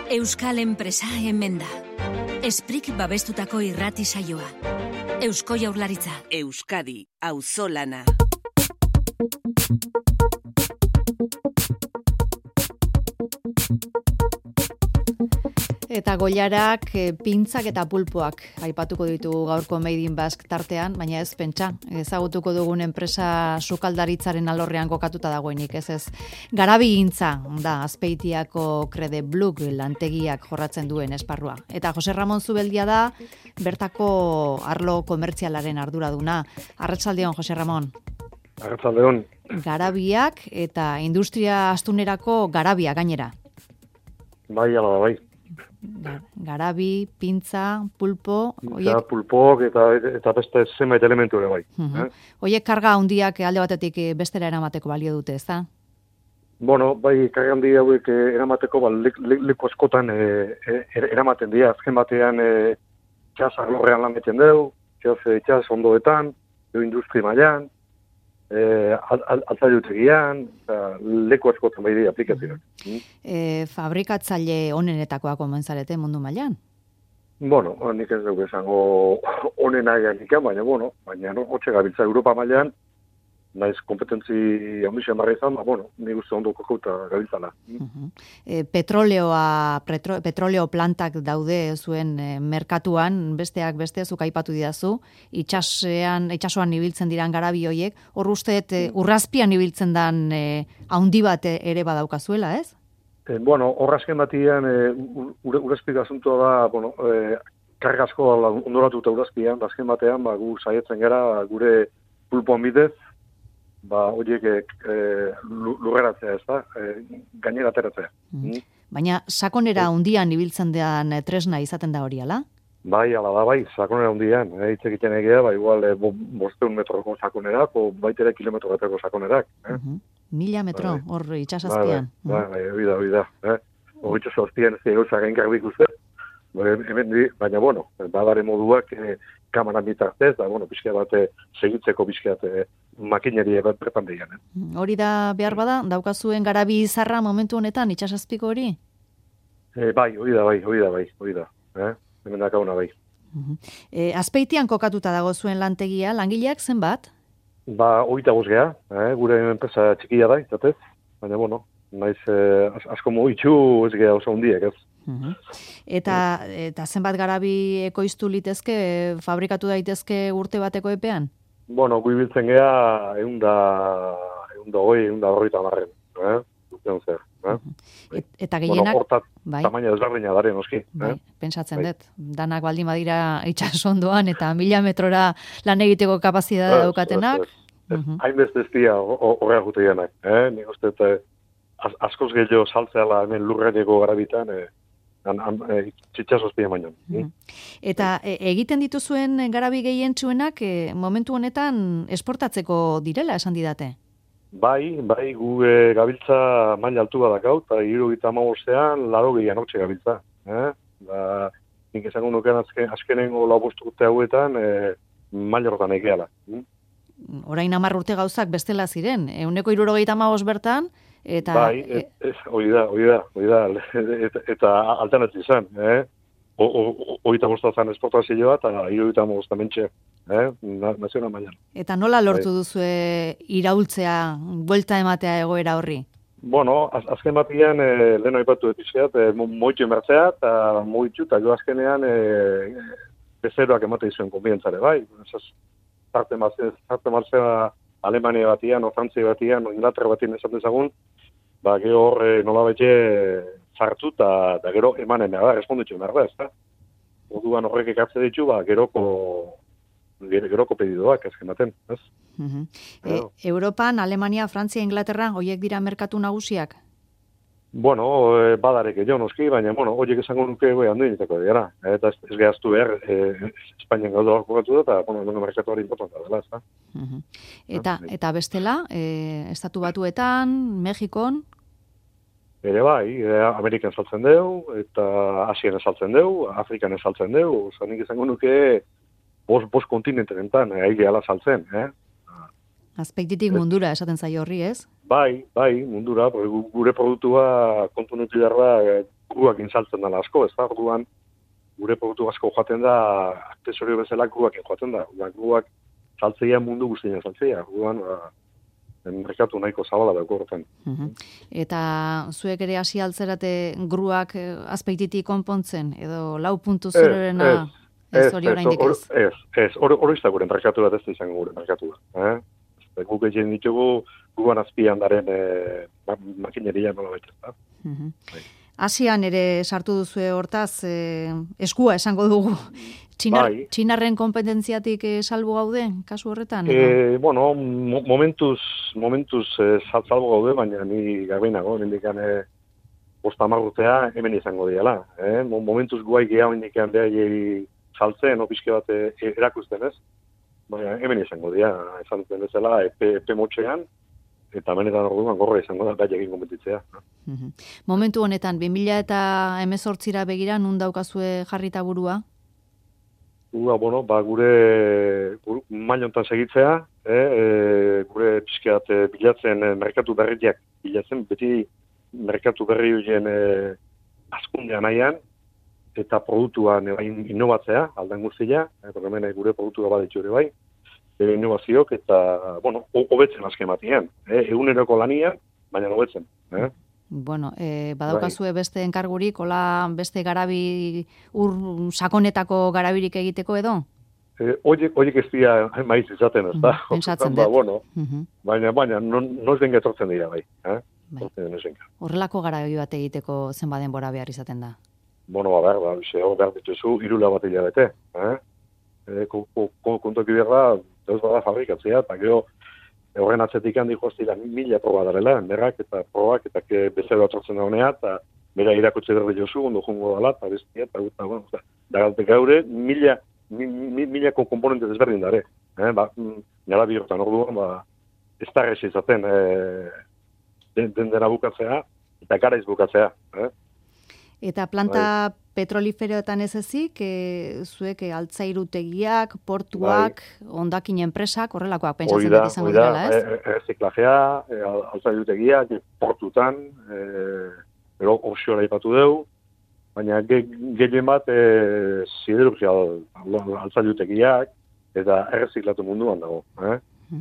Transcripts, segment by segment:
Euskal enpresa hemen da. Esprik babestutako irrati saioa. Eusko Jaurlaritza. Euskadi, auzolana. Eta goilarak, pintzak eta pulpoak aipatuko ditu gaurko Made in Basque tartean, baina ez pentsa, ezagutuko dugun enpresa sukaldaritzaren alorrean kokatuta dagoenik, ez. Garabigintza da Azpeitiako Crede Bluk lantegiak jorratzen duen esparrua. Eta Jose Ramon Zubeldia da bertako arlo komertzialaren arduraduna. Arratsaldeon, Jose Ramon. Arratsaldeon. Garabiak eta industria astunerako garabia gainera. Bai, ala da, bai. Garabi, pintza, pulpo... Pintza, pulpok eta beste zenbait elementu ere bai. Oiek karga handiak alde batetik bestera eramateko balio dute, ez da? Bueno, bai, karga handi hauek eramateko leku askotan eramaten dira. Azken batean txas arlorrean lan egiten dugu, txas ondoetan, industri mailan, altzailutegian, leku askotan bai dira aplikazioak. Fabrikatzaile onenetakoak omentzarete mundu mailan? Bueno, nik ez dugu esango onena eganik, baina hotxe gabiltza Europa mailan, naiz kompetentzi handixen barra izan, nik uste ondo kokauta gabiltzala. Petroleo plantak daude zuen merkatuan, besteak beste, zuk aipatu didazu, itxasoan ibiltzen diran garabi hoiek, hor usteet urrazpian ibiltzen dan haundi bat ere badaukazuela, ez? Horrazken batian, urazpik asuntua da, kargazko ondoratuta urazpian, azken batean, gu saietzen gara, gure pulpoan bidez, horiek lurreratzea, ez da, gainera ateratzea. Baina sakonera hundian ibiltzen den tresna izaten da hori, ala? Bai, ala da, bai, sakonera hundian. Hitz egiten egia, igual 500 metroko sakonerak, o baitere kilometro bateko sakonerak. 1000 metro, hor itxasazpian. Bai, hori da. Hor itxasazpian ez egauza gainkarrik uste. Baina, badare moduak kamaran bitartez, pixka bat segitzeko pixka makineria bat bertan behian. Hori da behar bada, daukazuen garabi izarra momentu honetan, itxasazpiko hori? Bai, hori da. Hemen dakauna bai. Azpeitian kokatuta dago zuen lantegia, langileak zenbat? 25 gea, gure enpresa txikia da, izatez, baina naiz asko mugitu ez gea oso hundiek, ez. Eta zenbat garabi ekoiztu litezke, fabrikatu daitezke urte bateko epean? Gu ibiltzen gea 120 marren, Eta gehienak... Hortat, tamaina desberdina daren, noski. Pentsatzen dut, danak baldin badira itxasondoan eta 1000 metrora lan egiteko kapazitatea daukatenak. Hainbeste ez dira horreak gute dianak. Nik uste, askoz gehiago saltzeala hemen lurreneko garabitan, txitxasoz pide mainon. Eta egiten dituzuen garabi gehientsuenak momentu honetan esportatzeko direla esan didate? Bai, gu gabiltza maila altu badakau, eta 75ean 80 hortxe gabiltza. Nik esango nukean azkenengo 5 urte hauetan maila horretan egeala. Orain 10 urte gauzak bestela ziren, 175 bertan, eta... Bai, hori da, eta alternatzi izan, 25 zan esportazioa eta 75 mentxe, nazional mailan. Eta nola lortu duzue iraultzea, buelta ematea egoera horri? Azken batian, lehen aipatu etizkeat, moitu emertzea, eta moitu, eta jo azkenean bezeroak emate izuen konbientzare, bai. Zarte martzea Alemania batian, o Frantzia batian, o Inglaterra batian esaten zagun, gero hor nola bete zartu, eta gero emanen da, responditu behar da, ez da. Orduan horrek ekartze ditu, geroko pedidoak ezken baten, ez? Europan, Alemania, Frantzia, Inglaterra, horiek dira merkatu nagusiak? Badarek edo noski, baina, horiek esango nuke handuinetako dira. Eta ez gehaztu behar, Espainian gaudu hor kokatu da, eta merkatu hori importanta dela, ez da. Eta bestela, Estatu Batuetan, Mexikon? Ere bai, Amerikan saltzen deu, eta Asian saltzen deu, Afrikan saltzen deu, nik esango nuke bos kontinentenentan, gehala saltzen, Azpeititik mundura esaten zaio horri, ez? Bai, mundura, gure produktua kontu nuti darra gruak insaltzen dela asko, ez da, orduan, gure produktu asko joaten da, aksesorio bezala gruak joaten da, gruak saltzeia mundu guztien saltzeia, orduan, merkatu nahiko zabala dauko horretan. Eta zuek ere hasi altzerate gruak azpeititik konpontzen, edo 4.0-rena ez hori oraindik ez? Ez, hori izan gure merkatu bat ez da izango gure merkatu bat. Guk egin ditugu guan azpian daren makineria nola baita. Asian ere sartu duzue hortaz, eskua esango dugu. Txinarren kompetentziatik salbu gaude, kasu horretan? Bueno, momentuz salbu gaude, baina ni gabeinago, nindikan 5 urtea hemen izango diala. Momentuz guai gehiago indikan behar saltzen, opiske bat erakusten ez, baina hemen izango dira, esan duten bezala, epe motxean, eta benetan orduan gorra izango da, gai egin kompetitzea. Momentu honetan, 2018ra begira, nun daukazue jarrita burua? Bueno, gure mailontan segitzea, gure pixkeat bilatzen merkatu berriak bilatzen, beti merkatu berri horien azkundean nahian, eta produktuan innovatzea, aldan guztia, hemen gure produktua baditu ere bai, innovazioak eta, bueno, hobetzen azken batean, eguneroko lanian, baina hobetzen. Bueno, badaukazue beste enkargurik, hola beste garabi sakonetako garabirik egiteko edo? Oiek ez dira maiz izaten, ez da? Pentsatzen dut. Bueno, baina noiz den getortzen dira bai. Horrelako garabi bat egiteko zenba denbora behar izaten da? Bueno, behar dituzu, 3 bat hilabete. Kontoki berra, ez bada fabrikatzea, eta gero, horren atzetik handi joztira 1000 proba darela, merrak eta probak, eta bezero atortzen da honea, eta bera irakotxe berri jozu, ondo jungo dala, eta bestia, eta bueno, da galte gaure, 1000 komponente desberdin dare. Nara bihortan orduan, ez da rezi izaten, dena bukatzea, eta garaiz bukatzea. Eta planta petroliferoetan ez ezik, zuek altzairutegiak, portuak, hondakin enpresak, horrelakoak pentsatzen dut izango direla, ez? Erreziklajea, altzairutegiak, portutan, offshore aipatu dugu, baina gehien bat siderurgia altzairutegiak, eta erreziklatu munduan dago,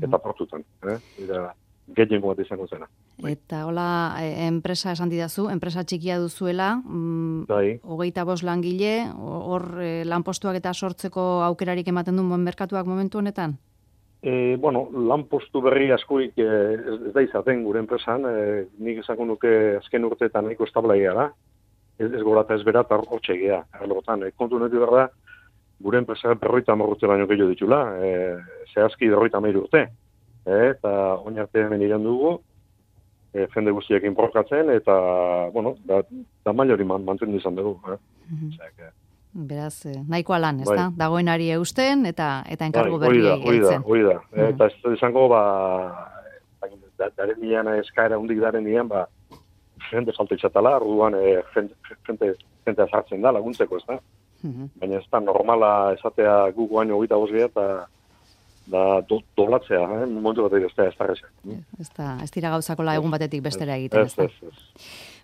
eta portutan. Eta gehien bat izango zena. Eta hola, enpresa esan didazu, enpresa txikia duzuela, 25 langile, hor lanpostuak eta sortzeko aukerarik ematen du merkatuak momentu honetan? Bueno, lanpostu berri askoik ez da izaten gure enpresan, nik esako nuke azken urteetan nahiko establa gara, ez gora eta ez bera eta hortxe egia. Kontu netu behar da, gure enpresa 50 urte baino gehiago ditula, zehazki 50 urte. Eta oinarte hemen iran dugu, jende guztiak inporkatzen, eta, bueno, da mailori mantendu izan dugu. Beraz, nahikoa lan, ez da? Dagoenari eusten, eta enkargu berri egiten. Hoi da. Eta ez izango, daren nian, eskaera hundik daren nian, jende falta itxatala, orduan jente azartzen da, laguntzeko, ez da? Baina ez da normala esatea gu guaino 25 eta da doblatzea, momentu batetik ez da reza. Ez dira gauzakola egun batetik bestera egiten, ez da?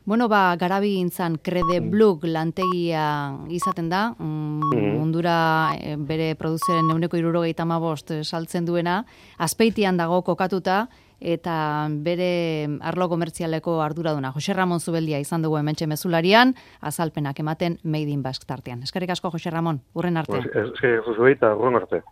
Bueno, garabi intzan Credeblook lantegia izaten da, mundura bere produzioaren 175 saltzen duena, Azpeitian dago kokatuta, eta bere arlo komertzialeko arduraduna. Jose Ramon Zubeldia izan dugu hementxe mezularian, azalpenak ematen Made in Basque tartean. Eskerrik asko, Jose Ramon, urren arte. Eskerrik asko, urren arte.